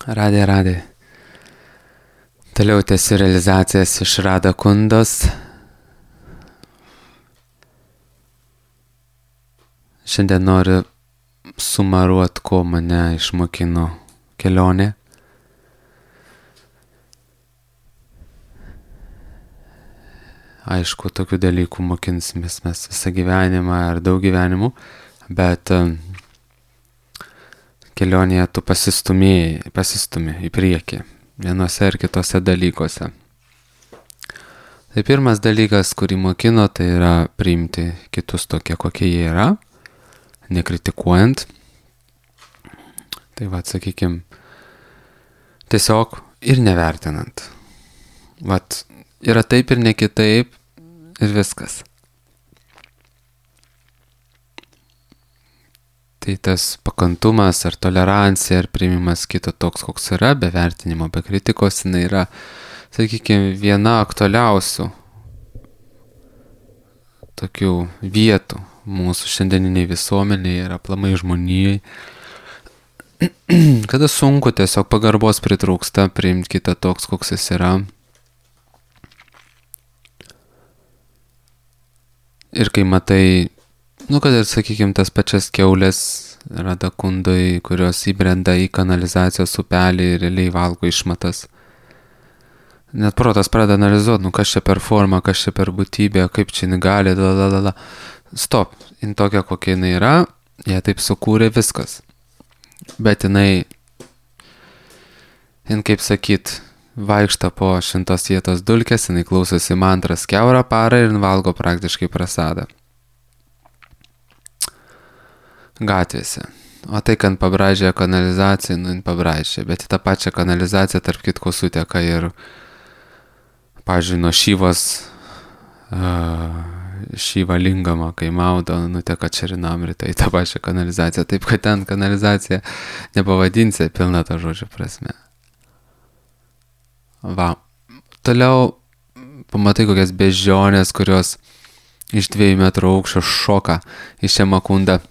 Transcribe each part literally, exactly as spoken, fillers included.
Radė, radė. Toliau tęsiu realizacijas iš Radha Kundos. Šiandien noriu sumaruot, ko mane išmokino kelionė. Aišku, tokių dalykų mokinsimės mes visą gyvenimą ar daug gyvenimų, bet kelionėje tu pasistumėjai, pasistumi į priekį, vienose ir kitose dalykuose. Tai pirmas dalykas, kurį mokino, tai yra priimti kitus tokie, kokie jie yra, nekritikuojant. Tai va, sakykime, tiesiog ir nevertinant. Vat, yra taip ir ne kitaip ir viskas. Tai tas pakantumas ar tolerancija ar priimimas kito toks, koks yra, be vertinimo, be kritikos, jinai yra, sakykime, viena aktualiausių tokių vietų mūsų šiandieniniai visuomeniai ir aplamai žmonijai. Kada sunku tiesiog pagarbos pritrūksta priimti kitą toks, koks jis yra. Ir kai matai, nu kad ir sakykime tas pačias kiaulės Radha Kundoj, kurios įbrenda į kanalizacijos upelį ir realiai valgo išmatas. Net protas pradeda analizuoti, nu kas čia per formą, kas čia per būtybė, kaip čia jinai gali, lalalala. Stop, jin tokia kokia jinai yra, ją taip sukūrė viskas. Bet jinai, jin kaip sakyt, vaikšta po šimtos vietos dulkės, jinai klausosi mantras kiaurą parą ir valgo praktiškai prasadą. Gatvėse. O tai, kad pabražė kanalizaciją, nu, jin pabražė, bet į tą pačią kanalizaciją tarp kitko suteka ir, pavyzdžiui, nuo Šyvos, uh, Šyva Lingama, kai maudo, nuteka Čarinamrita į tą pačią kanalizaciją. Taip, kad ten kanalizacija nepavadinsi pilna tą žodžio prasme. Va. Toliau pamatai kokias beždžionės, kurios iš dviejų metrų aukščio šoka į Šemakundą.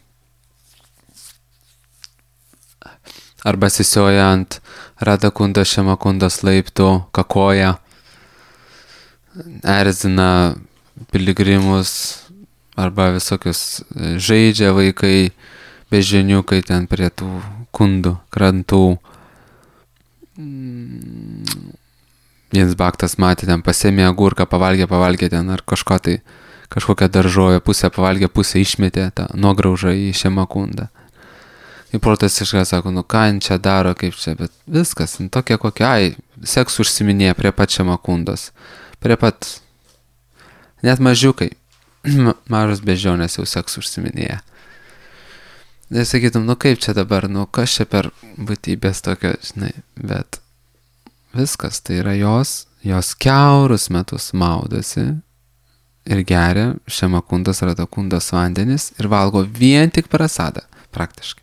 Arba sisioja ant Radha Kundos Šemakundos laiptų, kakoja, erzina piligrimus, arba visokius žaidžia vaikai, beždžioniukai ten prie tų kundų, krantų. Jens Baktas matė ten, pasėmė agurką, pavalgė, pavalgė ten, ar kažko tai, kažkokią daržovę, pusę pavalgė, pusę išmetė tą nuograužą į Šemakundą. Ir protas išką sako, nu ką jin čia daro, kaip čia, bet viskas, nu, tokia kokia, ai, seks užsiminėja prie pat Šemakundos, prie pat, net mažiukai, mažos beždžionės jau seks užsiminėja. Ir sakytum, nu kaip čia dabar, nu kas čia per būtybės tokio, žinai, bet viskas, tai yra jos, jos kiaurus metus maudosi ir geria Šemakundos Radha Kundos vandenis ir valgo vien tik prasadą, praktiškai.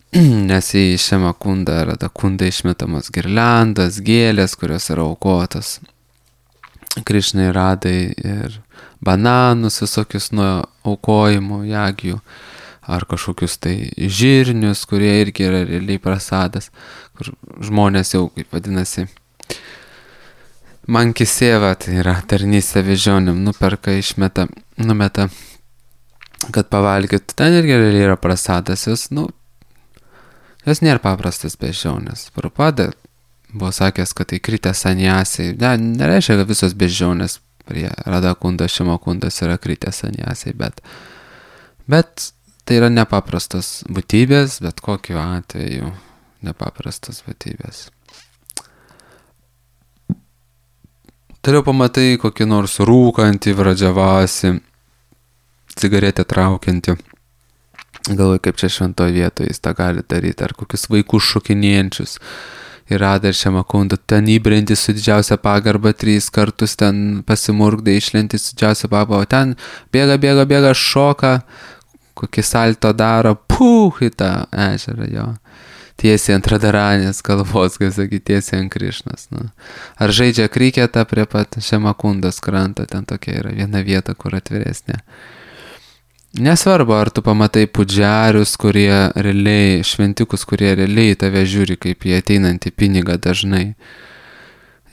Nes į Šemakundą Radha Kundą išmetamos girliandos, gėlės, kurios yra aukotos Krišnai Radai ir bananus visokius nuo aukojimo jagių, ar kažkokius tai žirnius, kurie irgi yra realiai prasadas, kur žmonės jau, kaip vadinasi, mankisėva, tai yra tarnystė beždžionėm, nuperka, išmeta, numeta, kad pavalgytų. Ten irgi realiai yra prasadas, jos, nu, jos nėra paprastas beždžionės. Prabhupada buvo sakęs, kad tai kritę sanjasiai, ne, nereiškia, kad visos beždžionės prie Radha Kundos Šemakundos yra kritę sanjasiai, bet, bet tai yra nepaprastos būtybės, bet kokiu atveju nepaprastos būtybės. Toliau pamatai kokį nors rūkantį, vradžiavasi, cigaretę traukiantį. Galvoju, kaip čia šventoje vietoje jis tą gali daryti, ar kokius vaikus šokinėjančius. Ir Radha ir Šemakunda ten įbrendi su didžiausia pagarba, trys kartus ten pasimurkdai, išlenti su didžiausia pagarba, o ten bėga, bėga, bėga, šoka, kokį salto daro, puh, į tą ežerą jo. Tiesiai ant Radharanės galvos, kaip sakyti, tiesiai ant Krišnos. Nu. Ar žaidžia kriketą prie pat Šemakundos krantą, ten tokia yra viena vieta, kur atviresnė. Nesvarbu, ar tu pamatai pudžiarius, kurie realiai, šventikus, kurie realiai tave žiūri kaip į ateinantį pinigą dažnai.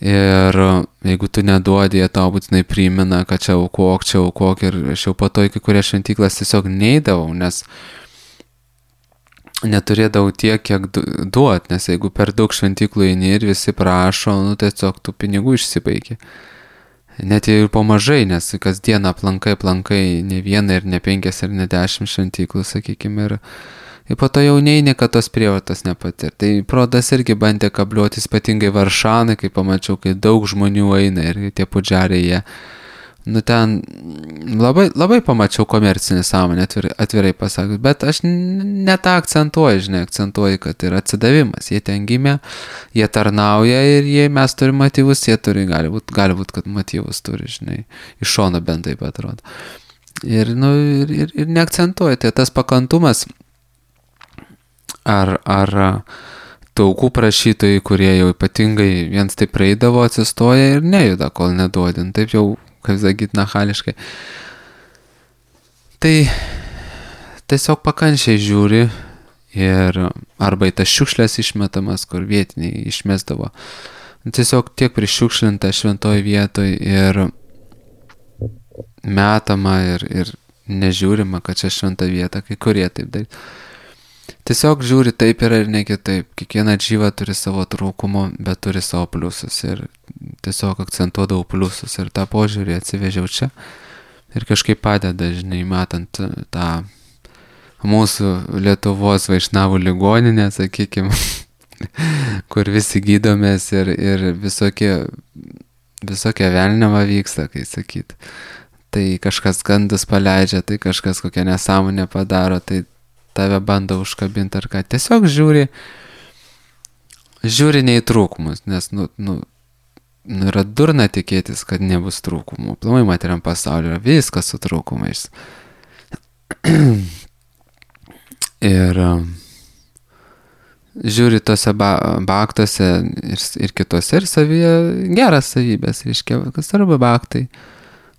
Ir jeigu tu neduodi, jie tau būtinai primena, kad čia aukok, čia aukok. Ir aš jau po to į kai kurias šventyklas tiesiog neidavau, nes neturėdavau tiek, kiek duot, nes jeigu per daug šventyklų eini ir visi prašo, nu tiesiog tų pinigų išsibaigi. Net ir po mažai, nes kasdieną aplankai, aplankai ne vieną ir ne penkias ir ne dešimt šventyklų, sakykime, ir, ir po to jau neini, kad tos prievartos nepatir. Tai prodas irgi bandė kabliuotis, ypatingai Varšanai, kai pamačiau, kai daug žmonių eina ir tie pudžiariai jie. Nu ten labai, labai pamačiau komercinį sąmonę, atvirai, atvirai pasakius, bet aš ne tą akcentuoju, žinai, akcentuoju, kad yra atsidavimas, jie ten gimė, jie tarnauja ir jie, mes turime motyvus, jie turi, gali būt, gali būt, kad motyvus turi, žinai, iš šono bent taip atrodo. Ir, nu, ir, ir, ir neakcentuoju, tai tas pakantumas, ar, ar tų aukų prašytojai, kurie jau ypatingai viens taip praeidavo, atsistoja ir nejuda, kol neduodin, taip jau, kaip sakyt, nachališkai. Tai tiesiog pakančiai žiūri ir arba į tas šiukšlės išmetamas, kur vietiniai išmestavo. Tiesiog tiek prišiukšlinta šventoj vietoj ir metama ir, ir nežiūrima, kad čia šventa vieta, kai kurie taip daryti. Tiesiog žiūri taip yra ir ne kitaip. Kiekviena džyva turi savo trūkumo, bet turi savo pliusus. Ir tiesiog akcentuodavau pliusus. Ir tą požiūrį atsivežiau čia. Ir kažkaip padeda, žinai, matant tą mūsų Lietuvos vaišnavų ligoninę, sakykime, kur visi gydomės ir, ir visokie, visokie velniava vyksta, kai sakyt. Tai kažkas gandus paleidžia, tai kažkas kokią nesąmonę padaro, tai tave bando užkabinti ar ką. Tiesiog žiūri, žiūri ne į trūkumus, nes, nu, nu, nu, yra durna tikėtis, kad nebus trūkumų. Plamai materiam pasaulyje yra viskas su trūkumais. Ir žiūri tose ba baktuose ir, ir kitose ir savyje geras savybės, reiškia, kas arba baktai.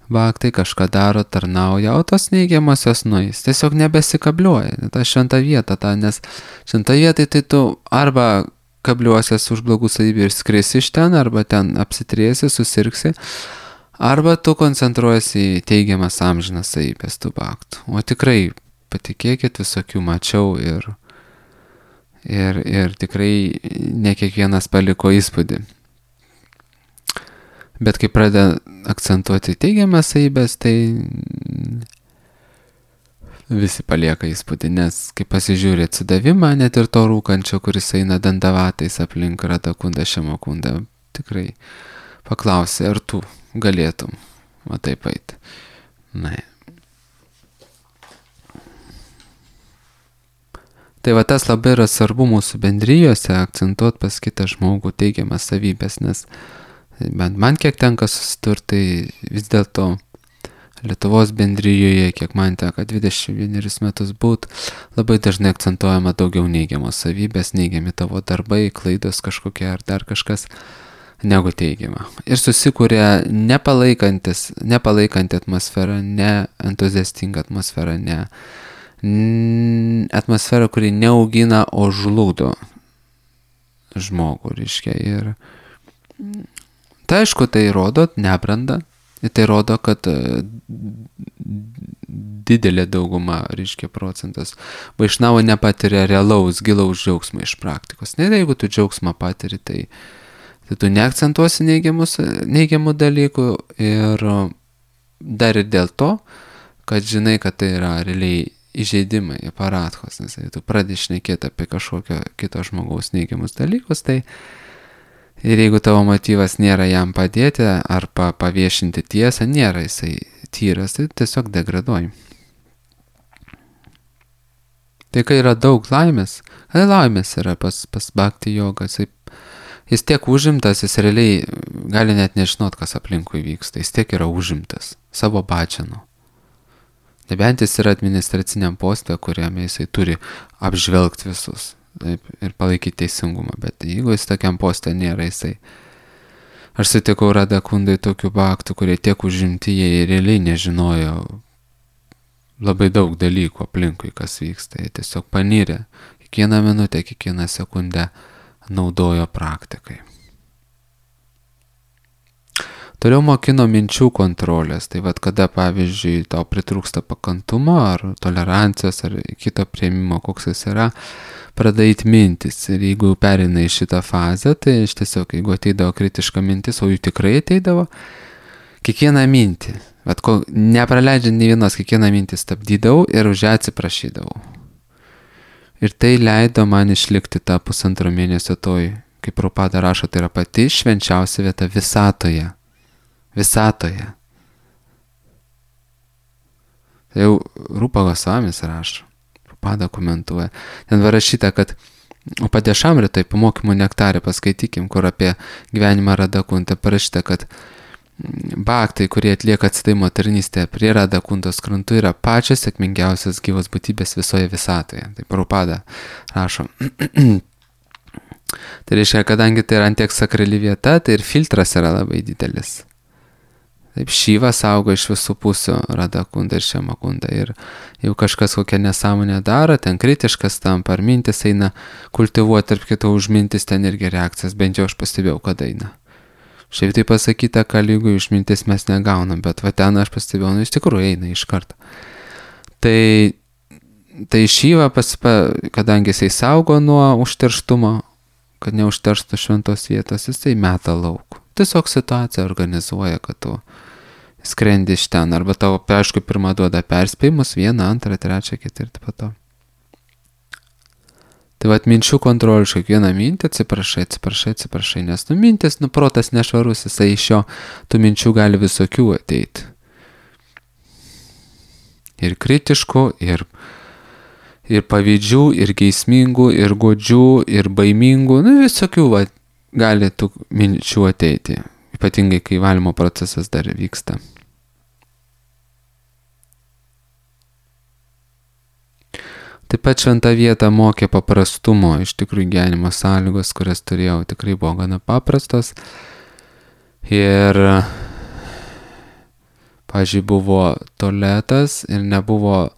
Baktai kažką daro, tarnauja, o tos neigiamosios nueis. Tiesiog nebesikabliuoja. Ta šventa vieta, ta, nes šventa vietai tai tu arba kabliuosies už blogų savybių ir skrisi iš ten, arba ten apsitriesi, susirgsi, arba tu koncentruojasi į teigiamas amžinas savybės tų baktų. O tikrai, patikėkit, visokių mačiau ir, ir, ir tikrai ne kiekvienas paliko įspūdį. Bet kai pradeda akcentuoti teigiamas savybės, tai visi palieka įspūdį, nes kai pasižiūri atsidavimą, net ir to rūkančio, kuris eina dandavatais aplink Radakunda, Šemakunda, tikrai paklausi, ar tu galėtum va taip eiti. Na. Tai va tas labai yra svarbu mūsų bendrijose akcentuoti pas kitą žmogų teigiamas savybės, nes bent man kiek tenka susidurti, tai vis dėlto Lietuvos bendrijoje, kiek man teka dvidešimt vienerius metus būt, labai dažnai akcentuojama daugiau neigiamos savybės, neigiami tavo darbai, klaidos kažkokie ar dar kažkas, negu teigiama. Ir susikūrė nepalaikantis, nepalaikanti atmosfera, ne entuziastinga atmosfera, ne atmosfera, kuri neaugina, o žlugdo žmogų, reiškia. Ir tai aišku, tai rodo nebrandą, tai rodo, kad didelė dauguma, reiškia, procentas vaišnavo nepatiria realaus, gilaus džiaugsmo iš praktikos. Net jeigu tu džiaugsmą patiri, tai, tai tu neakcentuosi neigiamų dalykų ir dar ir dėl to, kad žinai, kad tai yra realiai įžeidimai, aparatkos, nes jei tu pradedi šnekėti apie kažkokio kito žmogaus neigiamus dalykus, tai ir jeigu tavo motyvas nėra jam padėti ar pa, paviešinti tiesą, nėra jisai tyras, tai tiesiog degraduoji. Tai kai yra daug laimės, kai laimės yra pas, pas bhakti jogą, jis, jis tiek užimtas, jis realiai gali net nežinot, kas aplinkui vyksta, jis tiek yra užimtas savo bačianu. Nebent jis yra administraciniam poste, kuriame jisai turi apžvelgti visus. Taip, ir palaikyti teisingumą, bet jeigu jis tokiam poste nėra, jisai. Aš sutikau Radakundai tokių bhaktų, kurie tiek užimti, jie realiai nežinojo labai daug dalykų aplinkui, kas vyksta. Jie tiesiog panyrė. Kiekvieną minutę, kiekvieną sekundę naudojo praktikai. Toliau mokino minčių kontrolės. Tai vad, kada, pavyzdžiui, tau pritrūksta pakantumo ar tolerancijos ar kito priėmimo, koks jis yra, pradait mintis. Ir jeigu pereina į šitą fazę, tai iš tiesiog, jeigu ateidavo kritiška mintis, o jų tikrai ateidavo, kiekvieną mintį, vat, ko, nepraleidžiant nei vienos, kiekvieną mintį stabdydavau ir už ją atsiprašydavau. Ir tai leido man išlikti tą pusantro mėnesio toj, kaip Prabhupada rašo, tai yra pati švenčiausia vieta visatoje. Visatoje. Tai jau Rupa Gosvamis rašo, Prabhupada komentuoja. Ten parašyta, kad Upadešamritai pamokymų nektarė, paskaitykim, kur apie gyvenimą Radakuntą parašyta, kad bhaktai, kurie atlieka atsidavimo tarnystę prie Radakuntos krantų, yra pačios sėkmingiausios gyvos būtybės visoje visatoje. Tai Prabhupada rašo. Tai reiškia, kadangi tai yra antiek sakrali vieta, tai ir filtras yra labai didelis. Taip, Šyva saugo iš visų pusių Radakunda ir Šemakunda. Ir jau kažkas kokią nesąmonę daro, ten kritiškas tampa, ar mintis eina kultivuoti, tarp kito už mintis ten irgi reakcijas, bent jau aš pastebėjau, kad eina. Šiaip tai pasakyta, kad lygų iš mintis mes negaunam, bet va ten aš pastebėjau, nu iš tikrųjų eina iš karto. Tai, tai Šyva, pasipa, kadangi jisai saugo nuo užterštumo, kad neužterštų šventos vietos, jisai meta lauk. Tiesiog situaciją organizuoja, kad tu skrendi iš ten, arba tavo, aišku, pirmą duoda perspėjimus, vieną, antrą, trečią, ketvirtą, po to. Tai vat minčių kontrolė, kiekvieną mintį atsiprašai, atsiprašai, atsiprašai, nes nu mintis, nu protas nešvarus, jisai iš jo tų minčių gali visokių ateiti. Ir kritiškų, ir, ir pavydžių, ir geismingų, ir godžių, ir baimingų, nu visokių vat, gali tų minčių ateiti, ypatingai kai valymo procesas dar vyksta. Taip pat šventą vietą mokė paprastumo, iš tikrųjų gyvenimo sąlygos, kurias turėjau, tikrai buvo gana paprastos. Ir, pavyzdžiui, buvo tualetas ir nebuvo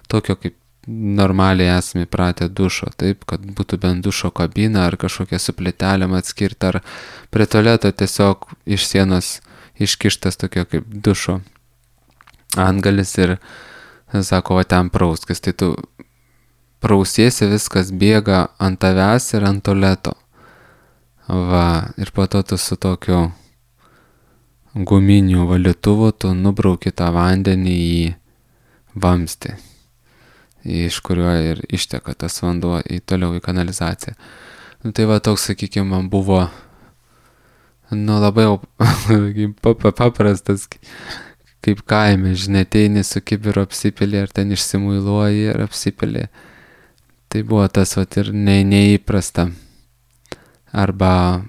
tokio kaip normaliai esame pratę dušo, taip, kad būtų bent dušo kabina ar kažkokia su plytelėm atskirta, ar prie tualeto tiesiog iš sienos iškištas tokio kaip dušo antgalis ir sako, va ten prauskis, tai tu prausiesi, viskas bėga ant tavęs ir ant tualeto. Va, ir po to tu su tokiu guminiu valytuvu tu nubrauki tą vandenį į vamzdį, iš kurio ir išteka tas vanduo į toliau į kanalizaciją. Nu, tai va toks, sakykime, man buvo nu, labai paprastas, kaip kaime, žinai, ateini su kibiru apsipilį, ar ten išsimuiluoji ir apsipilį. Tai buvo tas vat ir ne, neįprasta. Arba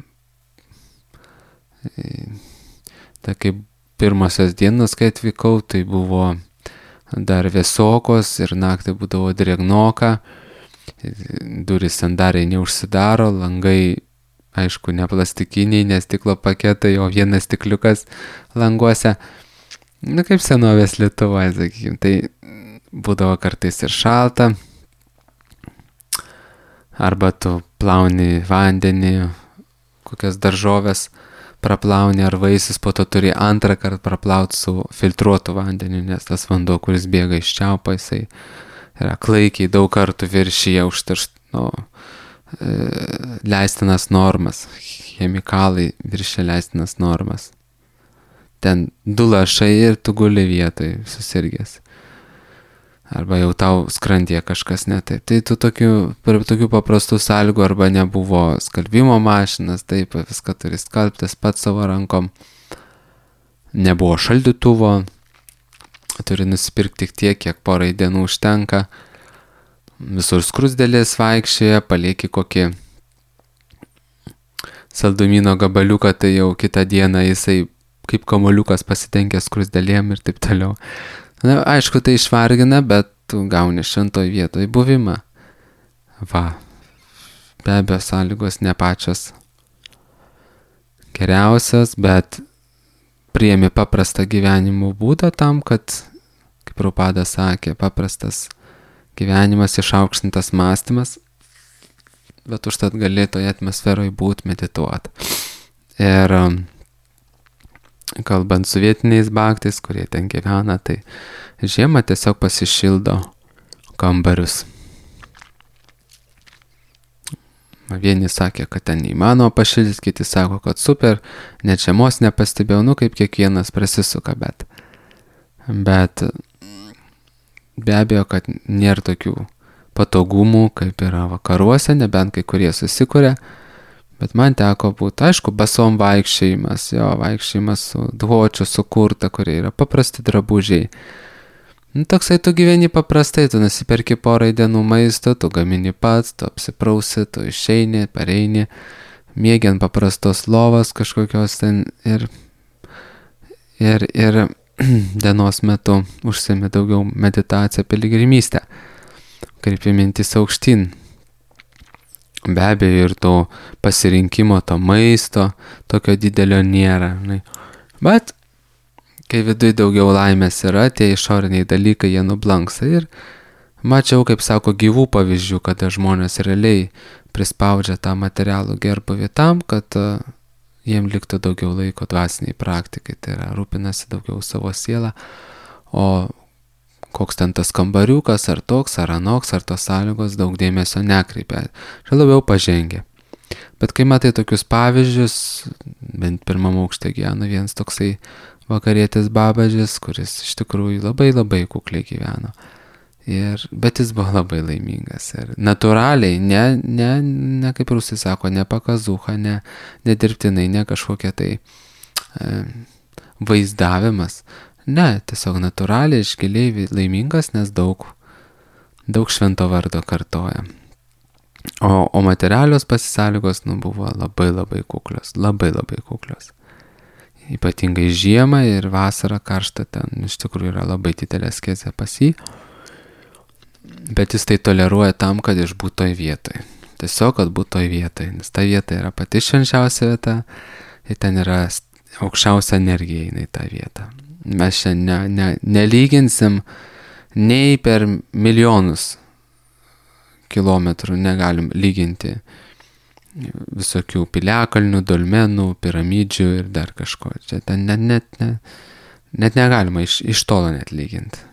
tai kaip pirmosios dienos, kai atvykau, tai buvo dar vėsokos ir naktį būdavo drėgnoka, durys sandariai neužsidaro, langai, aišku, ne plastikiniai, ne stiklo paketai, o vienas stikliukas languose. Nu, kaip senovės Lietuvoje, sakykime, tai būdavo kartais ir šalta, arba tu plauni vandenį, kokias daržovės praplauni ar vaisius, po to turi antrą kartą praplauti su filtruotu vandeniu, nes tas vanduo, kuris bėga iš čiaupo, jisai yra klaikiai daug kartų viršyje užteršt, nu, e, leistinas normas, chemikalai viršė leistinas normas. Ten du lašai ir tu guli vietoj susirgęs. Arba jau tau skrandyje kažkas ne taip. Tai tu tokių, per tokių paprastų sąlygų arba nebuvo skalbimo mašinas, taip, viską turi skalbtis pats savo rankom. Nebuvo šaldytuvo, turi nusipirkti tik tiek, kiek porai dienų užtenka. Visur skrusdėlės vaikščioja, palieki kokį saldumyno gabaliuką, tai jau kitą dieną jisai kaip kamoliukas pasitenkęs skrusdėlėm ir taip toliau. Na, aišku, tai išvargina, bet tu gauni šventoj vietoj buvimą. Va, be abejo, sąlygos ne pačios geriausios, bet priėmi paprastą gyvenimo būdą tam, kad, kaip Prabhupada sakė, paprastas gyvenimas, išaukštintas mąstymas, bet užtat gali toje atmosferoje būti, medituoti. Ir kalbant su vietiniais bhaktais, kurie ten gyvena, tai žiemą tiesiog pasišildo kambarius. Vieni sakė, kad ten neįmanoma pašildyti, kiti sako, kad super, net žiemos nepastebėjau, nu kaip kiekvienas prasisuka, bet, bet be abejo, kad nėra tokių patogumų, kaip yra vakaruose, nebent kai kurie susikuria, bet man teko būti, aišku, basom vaikščiojimas, jo, vaikščiojimas su dvočiu, su kurta, kurie yra paprasti drabužiai. Nu, toksai tu gyveni paprastai, tu nusipirki porai dienų maisto, tu gamini pats, tu apsiprausi, tu išeini, pareini, miegi ant paprastos lovos kažkokios ten ir, ir, ir dienos metu užsiimi daugiau meditaciją, piligrimystę, kreipi mintis aukštyn. Be abejo ir to pasirinkimo, to maisto, tokio didelio nėra. Ne? Bet kai viduje daugiau laimės yra, tie išoriniai dalykai jie nublanksta. Ir mačiau, kaip sako, gyvų pavyzdžių, kada žmonės realiai prispaudžia tą materialų gerbuvį tam, kad uh, jiem liktų daugiau laiko dvasiniai praktikai. Tai yra, rūpinasi daugiau savo sielą, o koks ten tas kambariukas, ar toks, ar anoks, ar tos sąlygos daug dėmesio nekreipia. Čia labiau pažengia. Bet kai matai tokius pavyzdžius, bent pirmam aukšte gyvena vienas toksai vakarietis babažis, kuris iš tikrųjų labai labai kukliai gyveno. Ir, bet jis buvo labai laimingas. Ir natūraliai, ne, ne, ne kaip rusai sako, ne pakazucha, ne, ne dirbtinai, ne kažkokia tai e, vaizdavimas. Ne, tiesiog natūraliai, išgiliai laimingas, nes daug, daug švento vardo kartoja. O, o materialios pasisąlygos, nu, buvo labai labai kuklios, labai labai kuklios. Ypatingai žiemą ir vasarą karštą ten iš tikrųjų yra labai didelė askezė pas jį, bet jis tai toleruoja tam, kad išbūt toj vietoj. Tiesiog, kad būt toj vietoj, nes ta vieta yra pati švenčiausia vieta ir ten yra aukščiausia energija į tą vietą. Mes čia ne, ne, nelyginsim nei per milijonus kilometrų negalim lyginti visokių piliakalnių, dolmenų, piramidžių ir dar kažko. Čia ten net, net, net, net negalima iš, iš tolo net lyginti.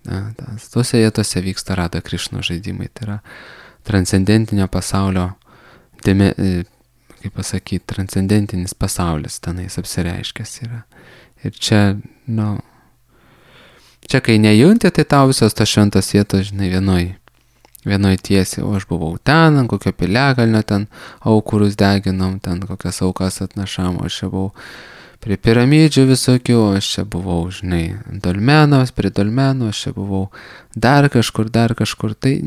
Na, tas, tuose vietose vyksta Rada Krišnos žaidimai. Tai yra transcendentinio pasaulio, dėme, kaip pasakyti, transcendentinis pasaulis tenais apsireiškęs yra. Ir čia, nu, čia kai nejunti, tai tau visos tos šventos vietos, žinai, vienoj, vienoj tiesiai, o aš buvau ten, ant kokio piliakalnio, ten aukurus deginom, ten kokias aukas atnašam, o aš čia buvau prie piramidžių visokių, aš čia buvau, žinai, dolmenos, prie dolmenų, aš čia buvau dar kažkur, dar kažkur, tai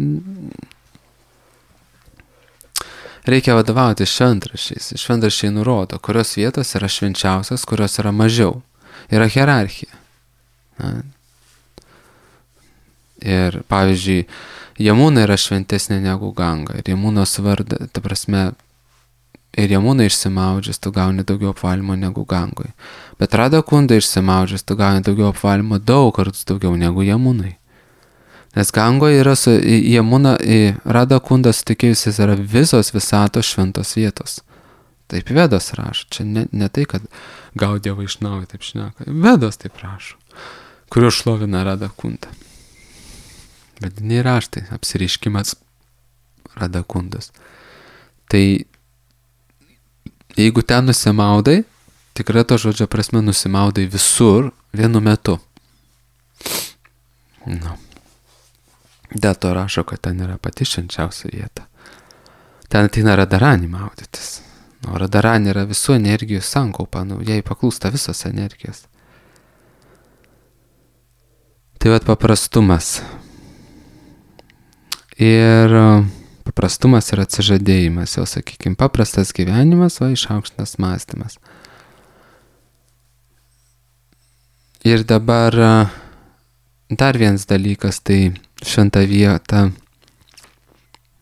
reikia vadovauti šventraščiais. Šventraščiai nurodo, kurios vietos yra švenčiausios, kurios yra mažiau. Yra hierarchija. Na. Ir pavyzdžiui, Jamuna yra šventesnė negu Ganga. Ir Jamunos vardą, ta prasme, ir Jamuna išsimaudžius, tu gauni daugiau apvalymo negu Gangoje. Bet Rada Kunda išsimaudžius, tu gauni daugiau apvalymo daug kartus daugiau negu Jamunai. Nes Gangoje yra su Jamuna, Rada Kunda sutikėjusiais yra visos visatos šventos vietos. Taip Vedos rašo. Čia ne, ne tai, kad Gaudija Vaišnavai taip šneka. Vedos taip rašo, kuriuo šlovina Rada Kunda. Vediniai raštai, apsireiškimas Rada Kundos. Tai jeigu ten nusimaudai, tikrai to žodžio prasme nusimaudai visur vienu metu. Nu. Dėl to rašo, kad ten yra pati švenčiausia vieta. Ten ateina Radarani maudytis. O Radarani yra visų energijų sankaupa, nu, jai paklūsta visos energijos. Tai vat paprastumas. Ir paprastumas yra atsižadėjimas, jau sakykime, paprastas gyvenimas, o išaukštintas mąstymas. Ir dabar dar vienas dalykas, tai šventa vieta,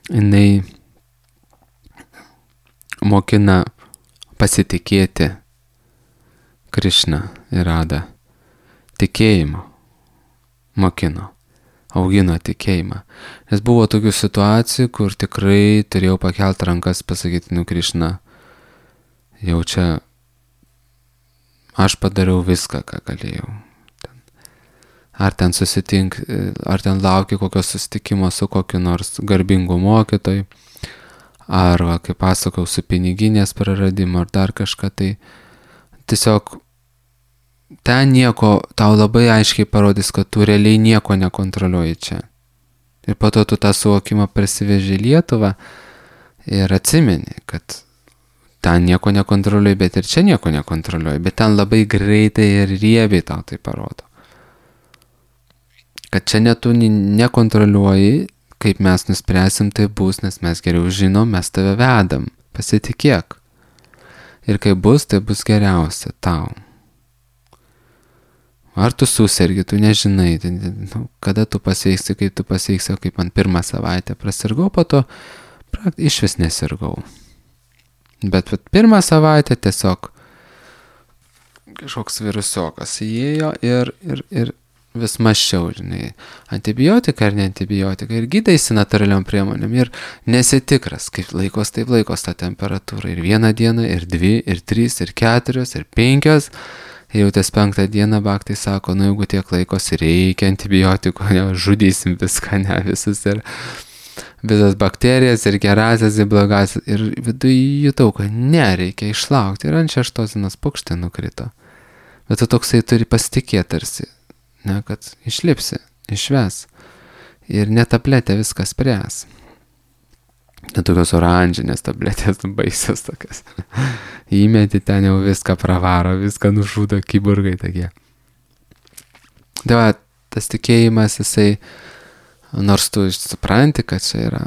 jinai mokina pasitikėti Krišną ir Radą tikėjimo. mokino, augino tikėjimą. Nes buvo tokių situacijų, kur tikrai turėjau pakelt rankas, pasakyti, nu Krišna, jau čia aš padariau viską, ką galėjau. Ar ten susitink, ar ten lauki kokio susitikimo su kokiu nors garbingu mokytoju, ar, va, kaip pasakau, su piniginės praradimu, ar dar kažką, tai tiesiog ten nieko, tau labai aiškiai parodys, kad tu realiai nieko nekontroliuoji čia. Ir po to tu tą suvokimą prasiveži į Lietuvą ir atsimeni, kad ten nieko nekontroliuoji, bet ir čia nieko nekontroliuoji, bet ten labai greitai ir riebiai tau tai parodo. Kad čia net tu nekontroliuoji, kaip mes nuspręsim, tai bus, nes mes geriau žinom, mes tave vedam, pasitikėk. Ir kai bus, tai bus geriausia tau. Ar tu susergi, tu nežinai, tai, nu, kada tu pasveiksi, kaip tu pasveiksi, kaip man pirmą savaitę prasirgau, po to iš vis nesirgau. Bet vat, pirmą savaitę tiesiog kažkoks virusiokas įėjo ir, ir, ir vis maščiau, žinai, antibiotika ar ne antibiotika, ir gydaisi natūraliom priemonėm, ir nesitikras, kaip laikos, taip laikos tą temperatūrą, ir vieną dieną, ir dvi, ir trys, ir keturios, ir penkios, ir jau ties penktą dieną baktai sako, nu jeigu tiek laikos reikia antibiotikų, ne, žudysim viską, ne, visus, ir visas bakterijas, ir gerasias, ir blogasias, ir viduje jutau, kad nereikia išlaukti, ir ant šeštos dienos pukštė nukrito, bet tu toksai turi pasitikėti tarsi, ne, kad išlipsi, išves. Ir ne tabletė viskas spręs. Ne tokios oranžinės tabletės, baisios tokias. Įmeti ten jau viską pravaro, viską nužudo kiburgai tokie. Tai va, tas tikėjimas, jisai, nors tu supranti, kad čia yra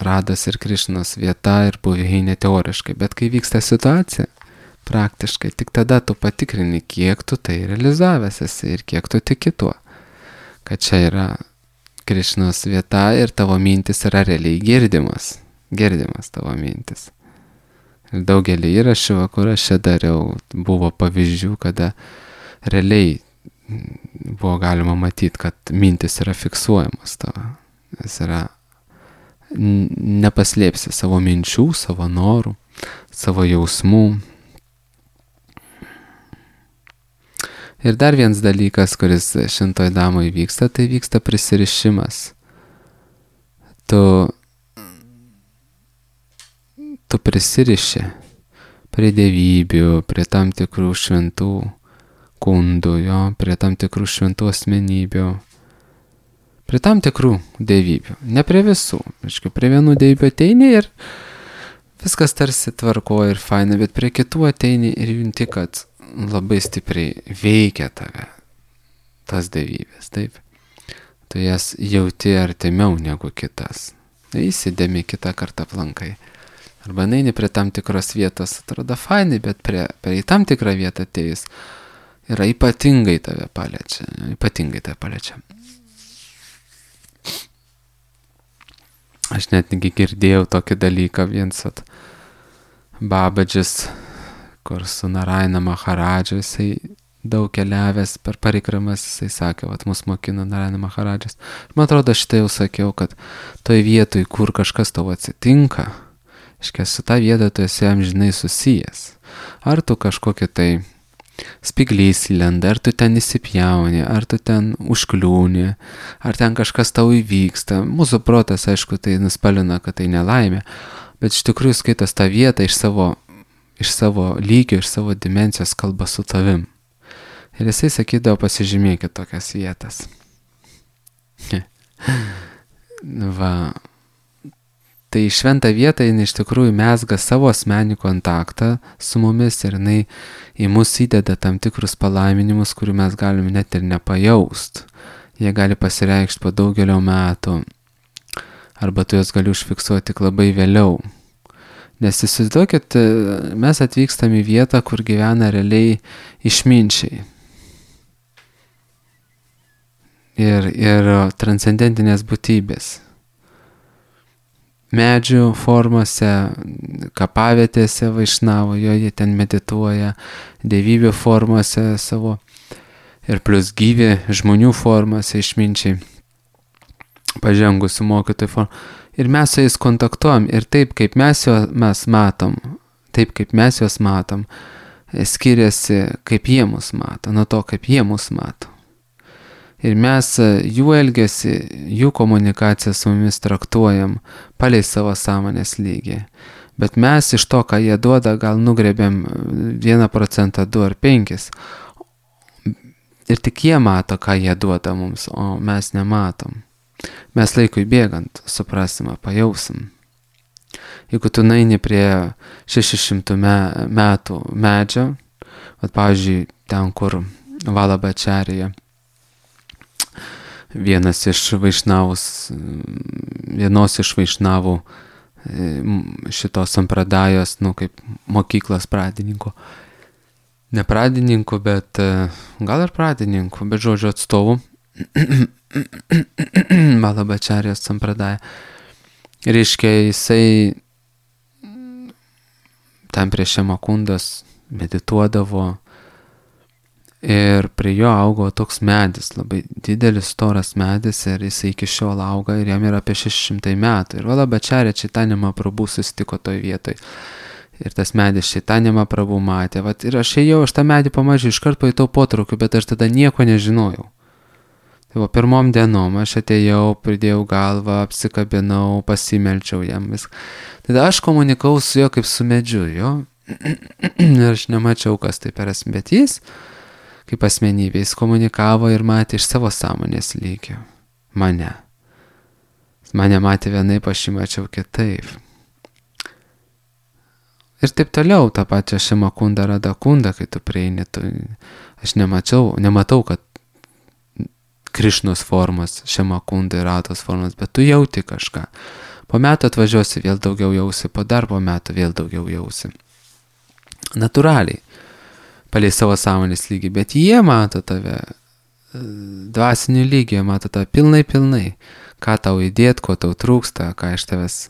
Rados ir Krišnos vieta ir buveinė teoriškai, bet kai vyksta situacija, praktiškai, tik tada tu patikrini, kiek tu tai realizavęs esi ir kiek tu tiki tuo, kad čia yra Krišnos vieta ir tavo mintis yra realiai girdimas, girdimas tavo mintis. Ir daugelį įrašų, kur aš čia dariau, buvo pavyzdžių, kada realiai buvo galima matyti, kad mintis yra fiksuojamas tavo. Jis yra, nepaslėpsi savo minčių, savo norų, savo jausmų. Ir dar vienas dalykas, kuris šintoj damoj vyksta, tai vyksta prisirišimas. Tu, tu prisiriši prie dievybių, prie tam tikrų šventų kundų, jo, prie tam tikrų šventų asmenybių, prie tam tikrų dievybių, ne prie visų. Aišku, prie vienų dievybių ateini ir viskas tarsi tvarkoja ir faina, bet prie kitų ateini ir junti, kad labai stipriai veikia tave tas dievybės, taip. Tu jas jauti artimiau negu kitas. Įsidėmi kitą kartą aplankai. Arba neini prie tam tikros vietos, atrodo fainai, bet prie, prie tam tikrą vietą atėjus yra ypatingai tave paliečia. Ypatingai tave paliečia. Aš net negi girdėjau tokį dalyką, viens at Babadžis, kur su Narayana Maharadžu, jisai daug keliavęs per parikramas, jisai sakė, vat mus mokino Narayana Maharadžas. Man atrodo, šitą jau sakiau, kad toj vietoj, kur kažkas tau atsitinka, iškia su ta vieta tu esi amžinai susijęs. Ar tu kažkokia tai spiglys lenda, ar tu ten įsipjauni, ar tu ten užkliūni, ar ten kažkas tau įvyksta. Mūsų protas, aišku, tai nuspalina, kad tai nelaimė, bet iš tikrųjų skaitas tą vietą iš savo iš savo lygio, iš savo dimensijos kalba su tavim. Ir jisai sakydavo, pasižymėkit tokias vietas. Va. Tai šventa vieta, jinai iš tikrųjų mezga savo asmenį kontaktą su mumis ir jinai į mus įdeda tam tikrus palaiminimus, kurių mes galime net ir nepajaust. Jie gali pasireikšti po daugelio metų, arba tu juos gali užfiksuoti tik labai vėliau. Nes įsivaizduokit, mes atvykstam į vietą, kur gyvena realiai išminčiai. Ir, ir transcendentinės būtybės. Medžių formose, kapavietėse vaišnavo, jo jie ten medituoja, dievybių formose savo ir plus gyvi žmonių formose išminčiai, pažengusių mokytojų formą. Ir mes su jais kontaktuojam ir taip, kaip mes juos mes matom, taip, kaip mes juos matom, skiriasi, kaip jie mus mato, nuo to, kaip jie mus mato. Ir mes jų elgesį, jų komunikaciją su mumis traktuojam palei savo sąmonės lygį. Bet mes iš to, ką jie duoda, gal nugrebėm vieną procentą, du ar penkis. Ir tik jie mato, ką jie duoda mums, o mes nematom. Mes laikui bėgant suprasime, pajausim. Jeigu tu naini prie šešių šimtų metų medžio, vat, pavyzdžiui, ten, kur Valabačarija, vienas iš vaišnavus, vienos iš vaišnavų šitos sampradajos, nu, kaip mokyklos pradininkų. Ne pradininkų, bet gal ir pradininkų, bet žodžio atstovų. Valabačarijos sampradaja. Reiškia, jisai ten prie Šemakundos medituodavo ir prie jo augo toks medis, labai didelis, storas medis ir jisai iki šiol auga ir jam yra apie šeši šimtai metų. Ir Valabačarija Čaitanija Mahaprabhu susitiko toj vietoj. Ir tas medis Čaitanija Mahaprabhu matė. Vat, ir aš ėjau, aš tą medį pamačiau, iškart pajutau potraukių, bet aš tada nieko nežinojau. Tai va, pirmom dienom aš atėjau, pridėjau galvą, apsikabinau, pasimelčiau jam viską. Tada aš komunikavau su juo kaip su medžiu, jo. Ir aš nemačiau, kas tai per esmė, bet jis, kaip asmenybė, jis komunikavo ir matė iš savo sąmonės lygio. Mane. Mane matė vienaip, aš jį mačiau kitaip. Ir taip toliau, tą pačią Šemakundą, Radakundą, kai tu prieini, tu, aš nemačiau, nematau, kad Krišnos formos, Šemakunda ir Rados formos, bet tu jauti kažką. Po metų atvažiuosi, vėl daugiau jausi, po darbo metų vėl daugiau jausi. Natūraliai, palei savo sąmonės lygį, bet jie mato tave dvasiniu lygiu, mato tave pilnai, pilnai. Ką tau įdėt, ko tau trūksta, ką iš tavęs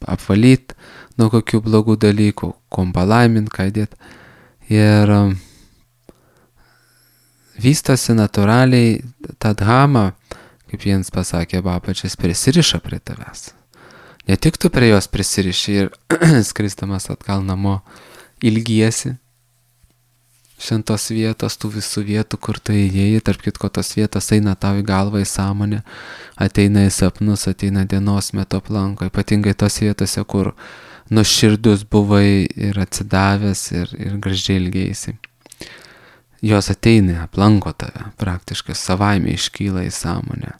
apvalyt, nuo kokių blogų dalykų, kom palaimint, ką įdėt. Ir vystosi natūraliai ta dhama, kaip jiems pasakė Babačis, prisiriša prie tavęs. Ne tik tu prie jos prisiriši ir skristamas atgal namo ilgiesi šventos vietos, tų visų vietų, kur tu įėjai, tarp kitko tos vietos eina tau į galvą, į sąmonę, ateina į sapnus, ateina dienos metu aplanko, ypatingai tos vietose, kur nuširdus buvai ir atsidavęs ir, ir gražiai ilgėjaisi. Jos ateina, aplanko tave, praktiškai savaime iškyla į sąmonę.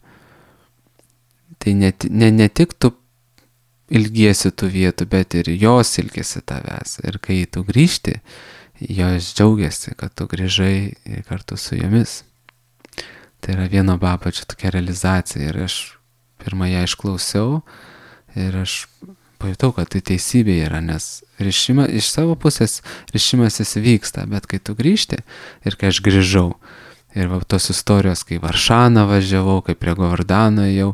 Tai ne, ne, ne tik tu ilgiesi tų vietų, bet ir jos ilgiesi tavęs. Ir kai tu grįžti, jos džiaugiasi, kad tu grįžai kartu su jomis. Tai yra vieno Babačio tokia realizacija. Ir aš pirmą ją išklausiau ir aš pajutau, kad tai teisybė yra, nes rišima, iš savo pusės rišimasis vyksta, bet kai tu grįžti ir kai aš grįžau, ir va, tos istorijos, kai Varšaną važiavau, kai prie Govardhano ėjau,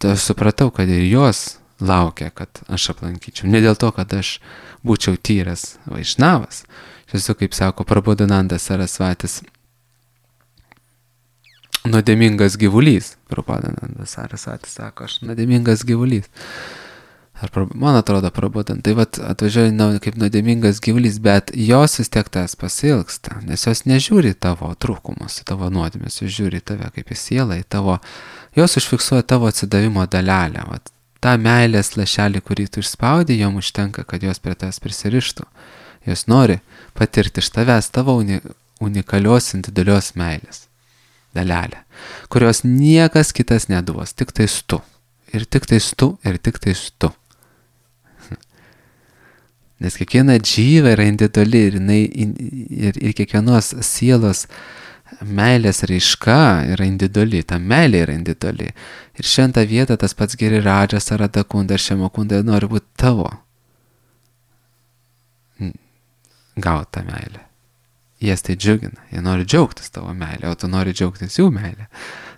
tai aš supratau, kad ir jos laukia, kad aš aplankyčiau. Ne dėl to, kad aš būčiau tyras vaišnavas. Aš esu, kaip sako Prabodhananda Sarasvatis, nuodėmingas gyvulys. Prabodhananda Sarasvatis sako, aš nuodėmingas gyvulys. Ar, man atrodo, Prabodhananda. Tai vat atvažiuoja kaip nuodėmingas gyvulys, bet jos vis tiek tas pasilgsta, nes jos nežiūri tavo trūkumus, tavo nuodėmes, jos žiūri tave kaip į sielą, į tavo, jos užfiksuoja tavo atsidavimo dalelę. Vat, tą meilės lašelį, kurį tu išspaudai, jom užtenka, kad jos prie tavęs prisirištų. Jos nori patirti iš tavęs tavo uni, unikalios individualios meilės dalelę, kurios niekas kitas neduos, tik tais tu. Ir tik tais tu, ir tik tais tu. Nes kiekviena džyva yra individuali ir, jinai, ir, ir kiekvienos sielos meilės raiška yra individuali, ta meilė yra individuali. Ir šventą vietą tas pats Giridžas, Radakunda ir Šemakunda nori būti tavo. Gauti tą meilę. Jas tai džiugina, jie nori džiaugtis tavo meilę, o tu nori džiaugtis jų meilę.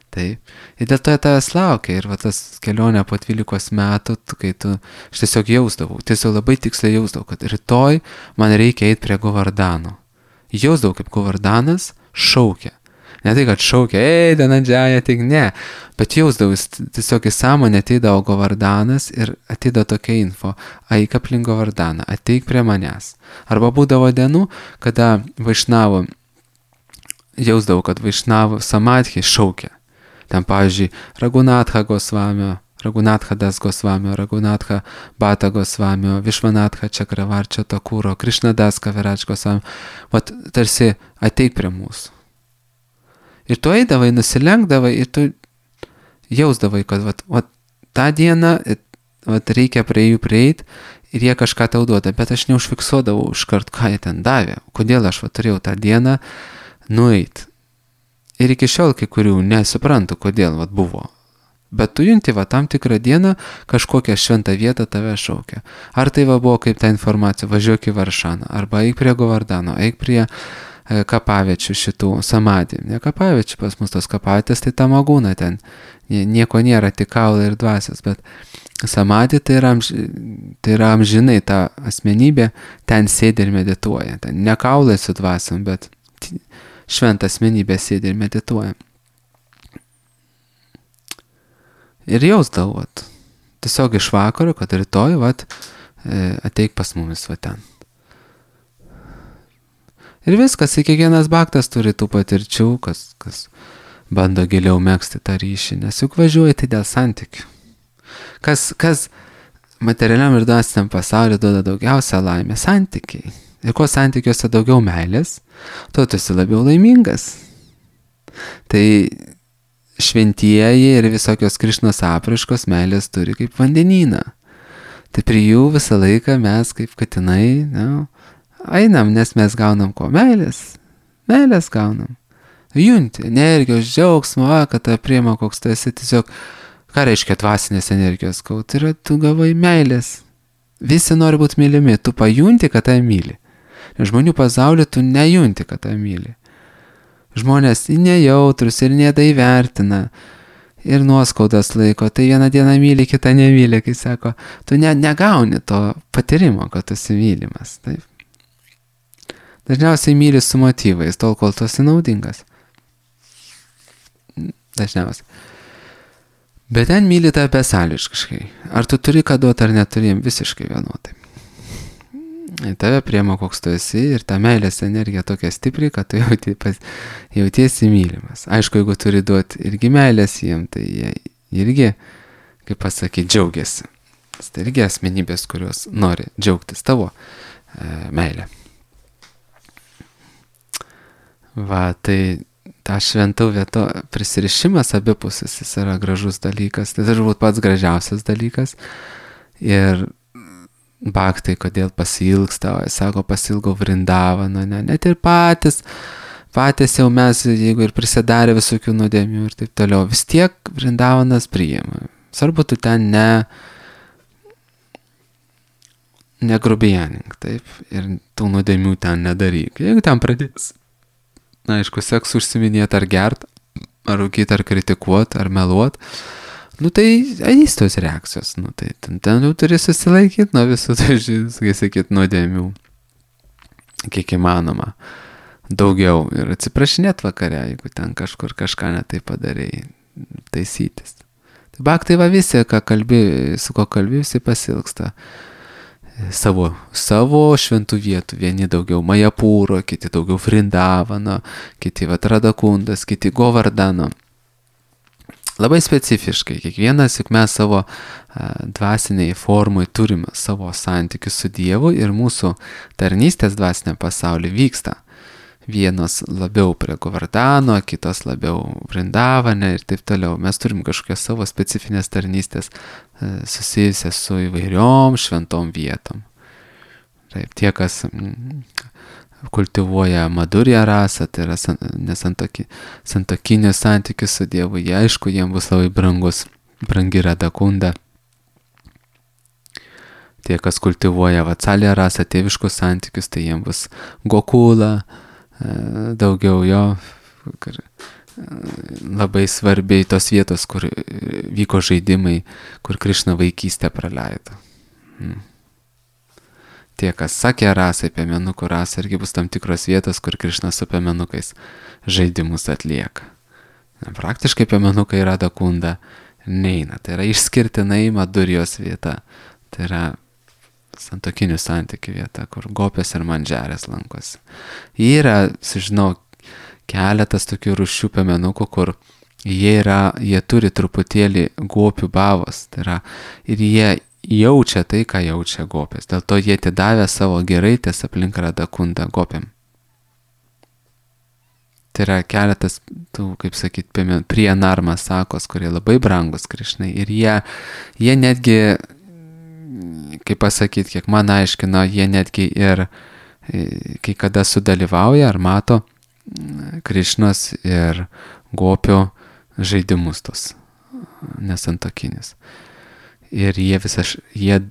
Taip. Ir dėl to tavęs laukia. Ir va tas kelionė po dvylikos metų, kai tu, aš tiesiog jausdavau, tiesiog labai tiksliai jausdavau, kad rytoj man reikia eiti prie Govardhano. Jausdavau, kaip Govardhanas šaukia. Ne tai, kad šaukia, ei, Dhananjaya, tik ne. Bet jausdavau, tiesiog į sąmonę ateidavo Govardanas ir ateidavo tokia info, eik aplink Govardaną, ateik prie manęs. Arba būdavo dienų, kada Vaišnavo, jausdavau, kad Vaišnavo samadhi šaukia. Ten, pavyzdžiui, Raghunatha Gosvamio, Raghunatha Das Gosvamio, Raghunatha Bata Gosvamio, Vishwanatha Chakravarčio Takūro, Krishnadas Kaviraj Gosvamio. Vat tarsi ateik prie mūsų. Ir tu eidavai, nusilenkdavai ir tu jausdavai, kad vat, vat, tą dieną vat, reikia prie jų prieit ir jie kažką tau duoda, bet aš neužfiksuodavau iškart, ką jie ten davė, kodėl aš vat, turėjau tą dieną nueit. Ir iki šiol kai kurių nesuprantu, kodėl vat, buvo. Bet tu junti, va, tam tikrą dieną kažkokią šventą vietą tave šaukia. Ar tai va buvo kaip ta informacija, važiuok į Varšaną, arba eik prie Govardano, eik prie kapaviečių šitų samadį. Ne kapaviečių, pas mus tos kapavietės, tai tamagūna ten. Nieko nėra, tik kaulai ir dvasios, bet samadį tai yra, amž... tai yra amžinai ta asmenybė, ten sėdi ir medituoja. Ten ne kaulai su dvasiom, bet šventa asmenybė sėdi ir medituoja. Ir jausdavau, vat, tiesiog iš vakaro, kad rytoj, vat, ateik pas mumis, va ten. Ir viskas, kiekvienas bhaktas turi tų patirčių, kas, kas bando giliau megzti tą ryšį, nes juk važiuoji tai dėl santykių. Kas, kas materialiam ir dvasiniam pasauliu duoda daugiausia laimė? Santykiai. Ir kuo santykiuose daugiau meilės, tuo tu esi labiau laimingas. Tai šventieji ir visokios Krišnos apraiškos meilės turi kaip vandenyną. Tai prie jų visą laiką mes kaip katinai, ne, einam, nes mes gaunam ko? Meilės. Meilės gaunam. Junti, energijos, džiaugsmo, kad tą priima koks tu esi, tiesiog, ką reiškia dvasinės energijos gaut, tai yra, tu gavai meilės. Visi nori būti mylimi, tu pajunti, kad tai myli. Nes žmonių pasaulyje tu nejunti, kad tai myli. Žmonės nejautrus ir nedaivertina ir nuoskaudas laiko, tai vieną dieną myli, kitą nemyli, kai sako, tu ne, negauni to patyrimo, kad tu esi mylimas. Taip. Dažniausiai myli su motyvais, tol kol tu esi naudingas. Dažniausiai. Bet ten myli tave besąlygiškai. Ar tu turi ką duoti, ar neturi, visiškai vienodai. Tave priema koks tu esi ir ta meilės energija tokia stipri, kad tu jauti, pas, jautiesi mylimas. Aišku, jeigu turi duoti irgi meilės jiem, tai jie irgi, kaip pasakyti, džiaugiasi. Tai irgi asmenybės, kurios nori džiaugtis tavo e, meilę. Va, tai ta šventų vieto prisirišimas abipusis, jis yra gražus dalykas, tai turbūt pats gražiausias dalykas. Ir bhaktai, kodėl pasilgsta, sako, pasilgau Vrindavano, ne, net ir patys, patys jau mes, jeigu ir prisidarė visokių nuodėmių ir taip toliau, vis tiek Vrindavanas priima. Svarbu, tu ten ne, negrubijanink, taip, ir tų nuodėmių ten nedaryk. Jeigu ten pradės, na, aišku, seksu užsiminėti ar gert, ar rūkyti, ar kritikuoti, ar meluoti, nu tai eis tos reakcijos, nu tai ten, ten jau turi susilaikyti nuo visų, tai kai sakyt, nuodėmių, kiek įmanoma, daugiau ir atsiprašinėt vakare, jeigu ten kažkur kažką netai padarėjai, taisytis. Tai bhaktai va visi, ką kalbi, su ko kalbi, visi pasilgsta savo, savo šventų vietų, vieni daugiau Majapūro, kiti daugiau Vrindavano, kiti vat Radakundas, kiti Govardano. Labai specifiškai, kiekvienas, juk mes savo a, dvasiniai formai turime savo santykius su Dievu ir mūsų tarnystės dvasiniam pasaulyje vyksta. Vienos labiau prie Govardano, kitos labiau Vrindavane ir taip toliau. Mes turim kažkokias savo specifinės tarnystės a, susijusias su įvairiom šventom vietom. Taip, tie, kas mm, kultivuoja Madhurya rasą, tai yra nesantoki, santokinius santykius su Dievu, jie aišku, jiems bus labai brangus, brangi Radakunda. Tie, kas kultivuoja Vatsalya rasą, tėviškus santykius, tai jiems bus Gokula, daugiau jo, labai svarbiai tos vietos, kur vyko žaidimai, kur Krišna vaikystę praleido. Hmm. tie, kas sakė rasai, piemenukų rasai, irgi bus tam tikros vietos, kur Krišna su piemenukais žaidimus atlieka. Praktiškai piemenukai Radha Kunda neina. Tai yra išskirtinai Madurijos vieta. Tai yra santokinių santykių vieta, kur gopės ir mandžerės lankosi. Yra, sužinau, keletas tokių rūšių piemenukų, kur jie, yra, jie turi truputėlį gopių bavos. Tai yra, ir jie jaučia tai, ką jaučia gopės. Dėl to jie atidavė savo giraitės aplink Radha Kundą gopėm. Tai yra keletas, tų, kaip sakyt, prie narmas sakos, kurie labai brangus Krišnai. Ir jie, jie netgi, kaip pasakyt, kiek man aiškino, jie netgi ir kai kada sudalyvauja ar mato Krišnos ir gopių žaidimus tos nesantokinis. Ir jie visą, jie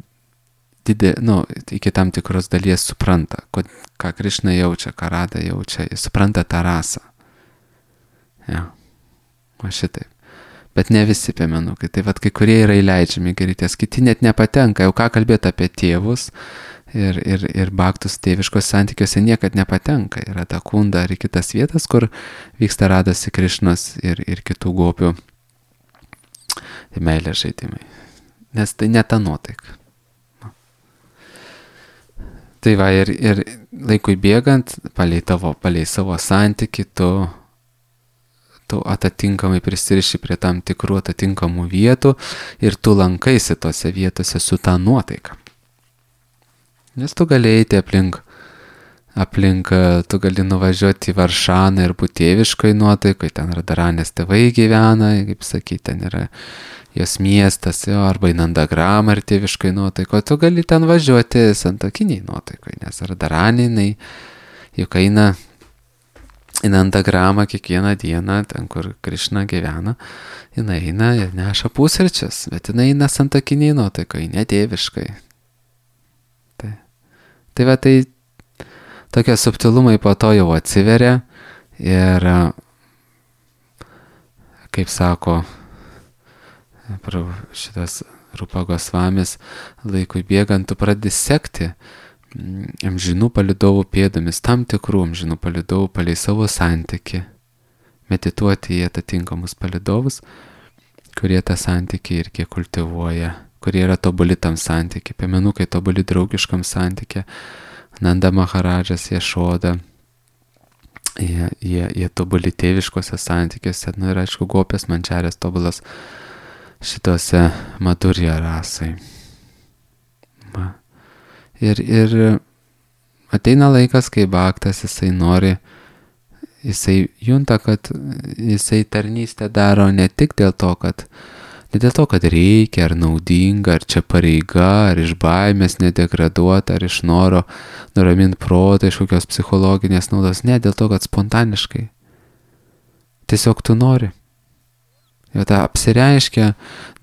didė, nu, iki tam tikros dalies supranta, kod, ką Krišna jaučia, ką Radha jaučia, jie supranta tą rasą. Ja, o šitaip. Bet ne visi piemenukai, tai vat kai kurie yra įleidžiami giraitės, kiti net nepatenka, jau ką kalbėti apie tėvus ir, ir, ir baktus tėviškos santykiuose niekad nepatenka. Yra ta Kunda ar kitas vietas, kur vyksta Radhos Krišnos ir, ir kitų gopių meilės žaidimai. Nes tai ne ta nuotaika. Tai va, ir, ir laikui bėgant, palei, tavo, palei savo santykį, tu, tu atitinkamai prisiriši prie tam tikrų atitinkamų vietų ir tu lankaisi tose vietose su ta nuotaika. Nes tu gali eiti aplink, aplink, tu gali nuvažiuoti į Varšaną ir būti tėviškoj nuotaikoj, ten Radharanės tėvai gyvena, kaip sakyti, ten yra jos miestas, jo, arba į Nandagramą ir tėviškai nuotaiko, tu gali ten važiuoti santokiniai nuotaikoj, nes Radharanė, jinai juk eina į Nandagramą kiekvieną dieną, ten kur Krišna gyvena, jinai eina ir neša pusryčius, bet jinai eina santokiniai nuotaikoj, ne tėviškai. Tai, tai va, tai tokie subtilumai po to jau atsiveria ir, kaip sako, šitas Rupa Gosvamis, laikui bėgant, tu pradedi sekti amžinų palydovų pėdomis, tam tikrų amžinų palydovų palei savo santykį, medituoti į atitinkamus palydovus, kurie tą santykį irgi kultivuoja, kurie yra tobuli tam santykį, piemenukai tobuli draugiškam santykį, Nanda Maharadžas, Ješoda, jie, jie, jie tobuli tėviškose santykiuose, nu ir aišku, gopės, mandžerės tobulas šitose Madhurya rasai. Va. Ir, ir ateina laikas, kai baktas, jisai nori, jisai junta, kad jisai tarnystę daro ne tik dėl to, kad, ne dėl to, kad reikia, ar naudinga, ar čia pareiga, ar iš baimės nedegraduota, ar iš noro nuraminti protą, iš kokios psichologinės naudos, ne dėl to, kad spontaniškai. Tiesiog tu nori. Jau ta apsireiškia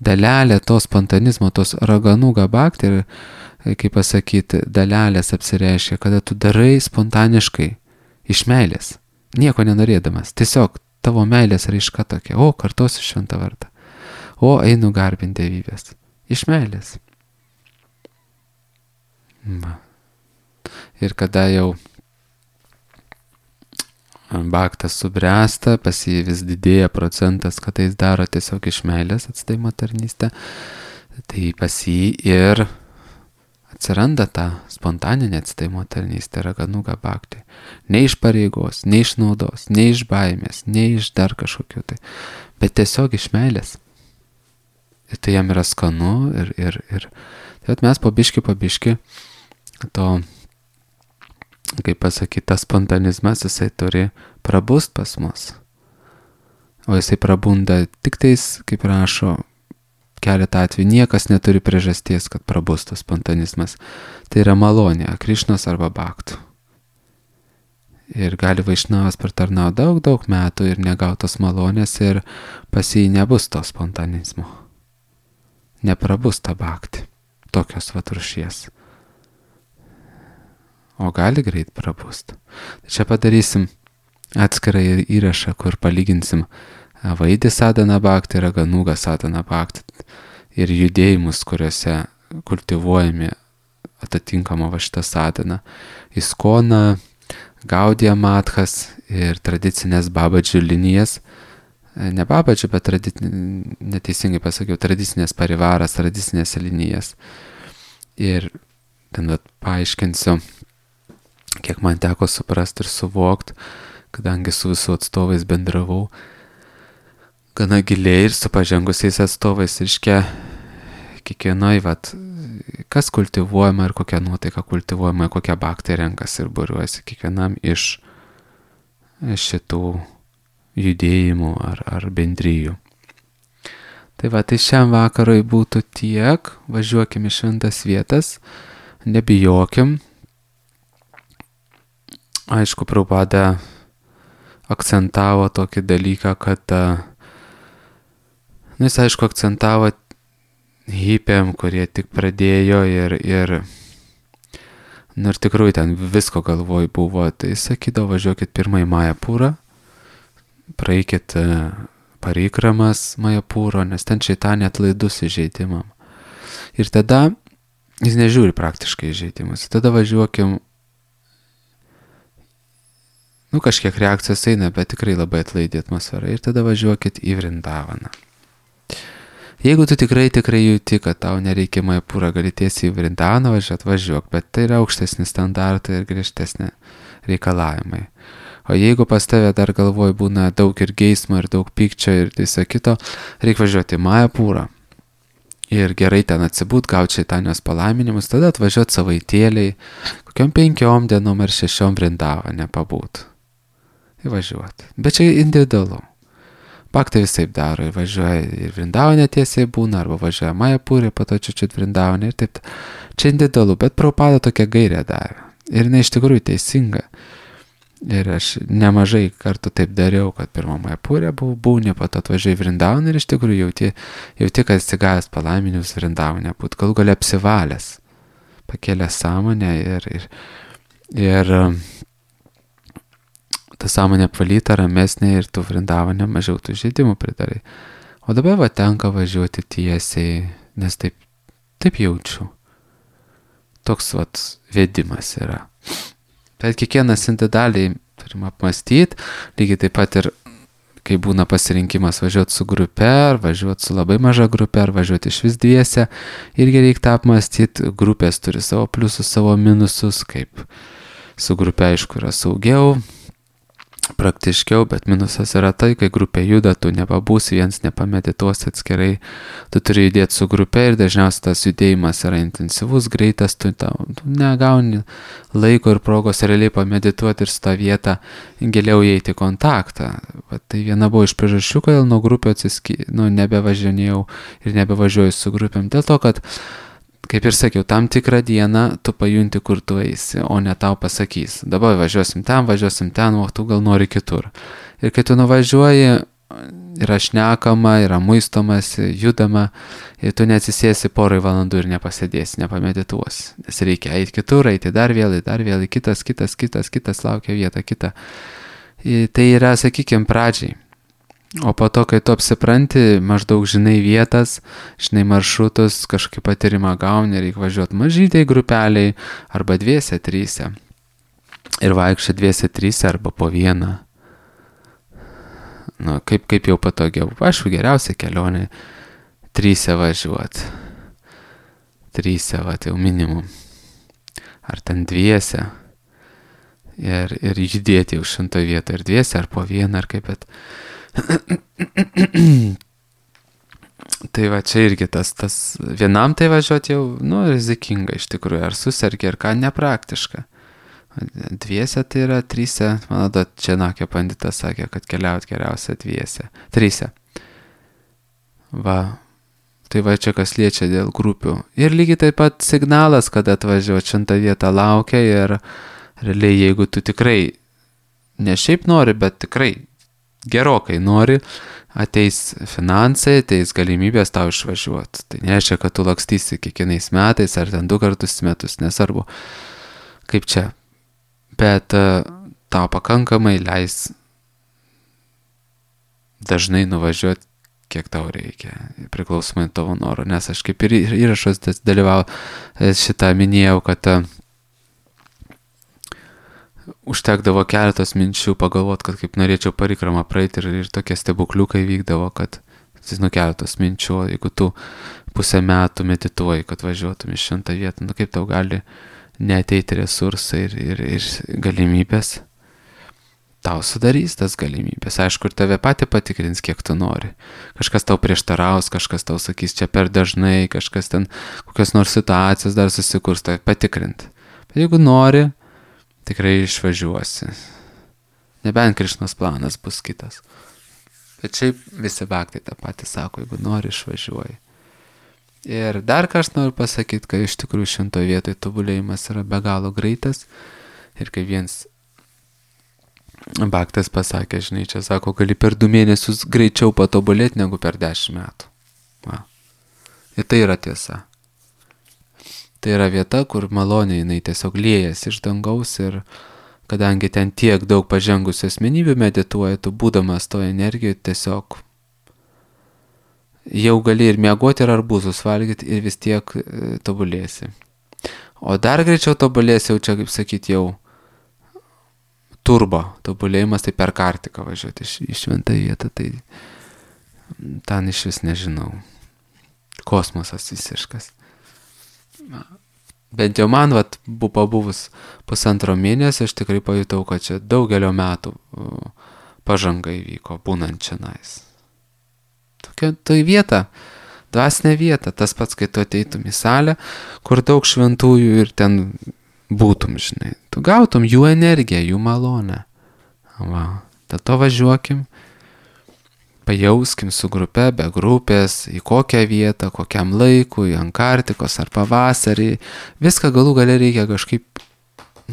dalelė to spontanizmo, tos raganuga bhakti, ir, kaip pasakyti, dalelės apsireiškia, kada tu darai spontaniškai, iš meilės, nieko nenorėdamas, tiesiog tavo meilės raiška tokia, o, kartosiu šventą vardą, o, einu garbinti dievybės, iš meilės. Va. Ir kada jau bhaktas subręsta, pas jį vis didėja procentas, kad jis daro tiesiog iš meilės atsidavimo tarnystę, tai pas jį ir atsiranda ta spontaninė atsidavimo tarnystė, raganuga bhakti. Ne iš pareigos, ne iš naudos, ne iš baimės, ne iš dar kažkokių tai, bet tiesiog iš meilės. Ir tai jam yra skanu ir, ir, ir tai mes po biški, po biški to, kaip pasakyti, tas spontanizmas, jisai turi prabust pas mus. O jisai prabunda tik tais, kaip rašo, keletą atvejų, niekas neturi priežasties, kad prabustų spontanizmas. Tai yra malonė, Krišnos arba bhaktų. Ir gali Vaišnavas pratarnauti daug, daug metų ir negautos malonės ir pas jį nebus to spontanizmo. Neprabus ta bhakti, tokios vat rūšies. O gali greit prabust. Tai čia padarysim atskirą įrašą, kur palyginsim Vaidį sadhana bhakti ir Raganuga sadhana bhakti ir judėjimus, kuriuose kultivuojami atitinkama va šitą sadaną. Iskona, Gaudija Matchas ir tradicinės babadžių linijas. Ne babadžių, bet tradic... neteisingai pasakiau, tradicinės parivaras, tradicinės linijas. Ir ten vat, paaiškinsiu, kiek man teko suprasti ir suvokti, kadangi su visų atstovais bendravau gana giliai ir su pažengusiais atstovais, reiškia, kiekvienoj, vat, kas kultivuojama ir kokia nuotaika kultivuojama, kokia baktai renkasi ir būriuojasi kiekvienam iš šitų judėjimų ar, ar bendrijų. Tai va, tai šiam vakarui būtų tiek, važiuokim į šventas vietas, nebijokim. Aišku, Prabhupada akcentavo tokį dalyką, kad, nu, jis aišku akcentavo hipiam, kurie tik pradėjo ir, ir, nu, ir tikrųjų ten visko galvoj buvo, tai sakydavo, važiuokit pirmą į Majapūrą, praeikit parikramas Majapūro, nes ten šeitanė atlaidus įžeidimam. Ir tada, jis nežiūri praktiškai įžeidimus, tada važiuokim, nu kažkiek reakcijos eina, bet tikrai labai atlaidi atmosfera, ir tada važiuokit į Vrindavaną. Jeigu tu tikrai, tikrai jauti, kad tau nereikia Majapūrą, gali tiesiai į Vrindavaną važiuot, važiuok, bet tai yra aukštesni standartai ir griežtesni reikalavimai. O jeigu pas tave dar galvoj būna daug ir geismo, ir daug pykčio, ir viso kito, reikia važiuoti į Majapūrą. Ir gerai ten atsibūt, gauti šeitanios palaiminimus, tada atvažiuoti savaitėliai, kokiom penkiom dienom ar šešiom Vrindavane pabūt. Įvažiuoti. Bet čia individualu. Baktai visaip daro, ir važiuoja ir Vrindavane tiesiai būna, arba važiuoja Majapūrė, po to čiučiut Vrindavane, ir taip. Čia individualu, bet Prabhupada tokia gairė davė. Ir jinai iš tikrųjų teisinga. Ir aš nemažai kartų taip dariau, kad pirmą Majapūrę būni, po to atvažiuoju į Vrindavaną ir iš tikrųjų jauti, jauti kad atsigavęs palaiminius Vrindavane būt, gal gali apsivalęs, pakėlęs sąmonę ir, ir, ir ta sąmonė apvalyta, ramesnė ir tu Vrindavane mažiau tų žaidimų pridarai. O dabar va tenka važiuoti tiesiai, nes taip, taip jaučiu. Toks vat vedimas yra. Bet kiekvienas individualiai turim apmastyti, lygiai taip pat ir kai būna pasirinkimas važiuoti su grupe, ar važiuoti su labai maža grupe, ar važiuoti iš vis dviese, irgi reikia apmastyti, grupės turi savo pliusus, savo minusus, kaip su grupe aišku yra saugiau, praktiškiau, bet minusas yra tai, kai grupė juda, tu nepabūsi, viens nepamedituosi atskirai, tu turi judėti su grupė ir dažniausiai tas judėjimas yra intensyvus, greitas, tu, tu negauni laiko ir progos realiai pamedituoti ir su tą vietą giliau įeiti į kontaktą. Bet tai viena buvo iš priežasčių, kodėl nuo grupių atsisky, nu, nebevažinėjau ir nebevažiuoju su grupėm, dėl to, kad kaip ir sakiau, tam tikrą dieną tu pajunti, kur tu eisi, o ne tau pasakys. Dabar važiuosim ten, važiuosim ten, o tu gal nori kitur. Ir kai tu nuvažiuoji, yra šnekama, yra muistomasi, judama, ir tu neatsisėsi porai valandų ir nepasėdėsi, nepamedituosi. Nes reikia eiti kitur, eiti dar vėl, dar vėl, kitas, kitas, kitas, kitas laukia vietą, kitą. Ir tai yra, sakykime, pradžiai. O po to, kai tu apsipranti, maždaug žinai vietas, žinai maršrutus, kažkaip patyrimą gauni, reikia važiuoti mažytei grupeliai, arba dviese, tryse. Ir vaikščia dviese, tryse, arba po vieną. Nu, kaip, kaip jau patogiau. Aišku, geriausia kelionė tryse važiuoti. Tryse, va, tai jau minimum. Ar ten dviese. Ir, ir judėti jau šimto vietą ir dviese, ar po vieną, ar kaip, bet... Tai va čia irgi tas, tas vienam tai važiuoti jau, nu, rizikinga iš tikrųjų, ar susergi, ar ką, nepraktiška. Dviese tai yra tryse, man atrodo, Čenakio panditas sakė, kad keliaut geriausia dviese, tryse. Va, tai va čia kas liečia dėl grupių. Ir lygiai taip pat signalas, kad atvažiuoti šimtą vietą laukia ir realiai jeigu tu tikrai, ne šiaip nori, bet tikrai gerokai nori, ateis finansai, ateis galimybės tau išvažiuoti. Tai nereiškia, kad tu lakstysi kiekvienais metais ar ten du kartus metus, nesvarbu, kaip čia. Bet uh, tau pakankamai leis dažnai nuvažiuoti kiek tau reikia, priklausomai tavo noro, nes aš kaip ir įrašas dalyvau šitą minėjau, kad užtekdavo keletos minčių pagalvot, kad kaip norėčiau parikramą praeiti ir, ir tokie stebukliukai vykdavo, kad nu keletos minčių, jeigu tu pusę metų medituoji, kad važiuotum iš šventą vietą, nu kaip tau gali neateiti resursai ir, ir, ir galimybės, tau sudarys tas galimybės, aišku, ir tave patį patikrins, kiek tu nori. Kažkas tau prieštaraus, kažkas tau sakys čia per dažnai, kažkas ten kokios nors situacijos dar susikurs, tai patikrint. Bet jeigu nori, tikrai išvažiuosi. Nebent Krišnos planas bus kitas. Bet šiaip visi baktai tą patį sako, jeigu nori, išvažiuoji. Ir dar ką aš noriu pasakyti, kad iš tikrųjų šimtoje vietoje tobulėjimas yra be galo greitas. Ir kai viens baktas pasakė, žinai, čia sako, gali per du mėnesius greičiau patobulėti negu per dešimt metų. Va. Ir tai yra tiesa. Tai yra vieta, kur maloniai jinai tiesiog liejas iš dangaus ir kadangi ten tiek daug pažengusių asmenybių medituoja, tu būdamas toje energijoje tiesiog jau gali ir miegoti ir arbūzus valgyti ir vis tiek e, tobulėsi. O dar greičiau tobulėsi jau čia, kaip sakyti, jau turbo tobulėjimas, tai per kartiką važiuoti iš, iš šventą vietą, tai ten iš vis nežinau. Kosmosas visiškas. Bent jau man, vat, buvo pabuvus pusantro mėnesio, aš tikrai pajutau, kad čia daugelio metų pažanga įvyko, būnant čionais. Tokia tai vieta, dvasinė vieta, tas pats, kai tu ateitum į salę, kur daug šventųjų ir ten būtum, žinai. Tu gautum jų energiją, jų malonę. Va, dėl to važiuokim, pajauskim su grupe, be grupės, į kokią vietą, kokiam laikui, Antarktikos ar pavasarį. Viską galų gale reikia kažkaip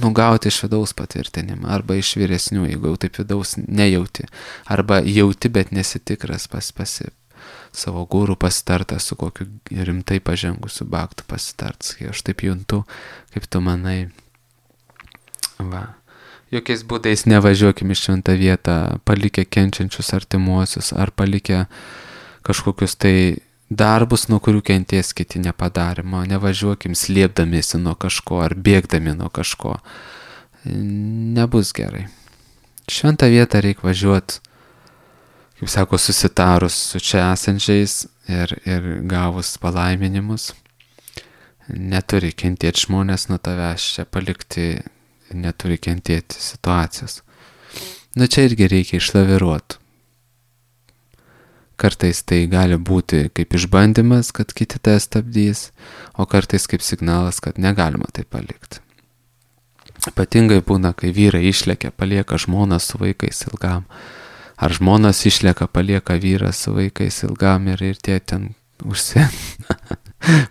nugauti iš vidaus patvirtinimą, arba iš vyresnių, jeigu jau taip vidaus nejauti, arba jauti, bet nesitikras pas pasi savo gūrų pasitartą su kokiu rimtai pažengusiu baktu pasitarts. Kai aš taip juntu, kaip tu manai. Va. Jokiais būdais nevažiuokim iš šventą vietą, palikę kenčiančius artimuosius, ar palikę kažkokius tai darbus, nuo kurių kenties kiti nepadarimo. Nevažiuokim slėpdamiesi nuo kažko, ar bėgdami nuo kažko. Nebus gerai. Šventą vietą reikia važiuoti, kaip sako, susitarus su čia esančiais ir, ir gavus palaiminimus. Neturi kentėti žmonės nuo tavęs čia palikti, neturi kentėti situacijos. Nu čia irgi reikia išlaviruoti. Kartais tai gali būti kaip išbandymas, kad kiti tai stabdys, o kartais kaip signalas, kad negalima tai palikti. Ypatingai būna, kai vyrai išlekia, palieka žmoną su vaikais ilgam. Ar žmonas išlieka, palieka vyrą su vaikais ilgam ir, ir tie ten užsi...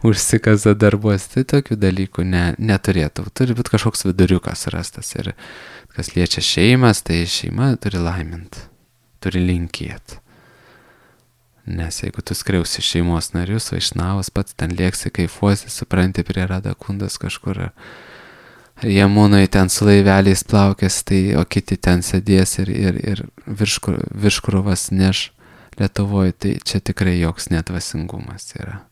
užsikaza darbuos. Tai tokių dalykų ne, neturėtų. Turi būti kažkoks viduriukas rastas. Ir kas liečia šeimas, tai šeima turi laimint, turi linkėti. Nes jeigu tu skriausi šeimos narius, vaišnavas, pats ten lėksi, kaifuosi, supranti, prie Radakundas kažkur, ar jie mūnai ten su laiveliais plaukės, tai, o kiti ten sėdės ir, ir, ir virškur, virškruvas neš Lietuvoje, tai čia tikrai joks nedvasingumas yra.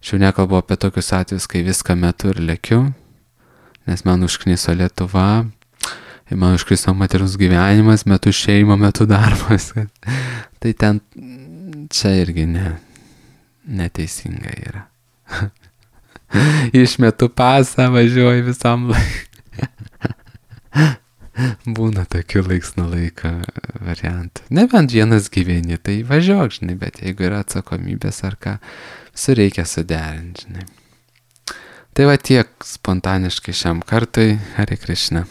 Šiau nekalbu apie tokius atvejus, kai viską metu ir lekiu, nes man užkniso Lietuva, man užkniso materialus gyvenimas, metu šeima, metu darbas. Tai ten čia irgi ne, neteisinga yra. Išmetu pasą, važiuoju visam laikui. Būna tokių laiks nuo laiko variantų. Nebent vienas gyveni, tai važiuok, žinai, bet jeigu yra atsakomybės ar ką, su reikia suderinti, žinai. Tai va tiek spontaniškai šiam kartui. Hare Krishna.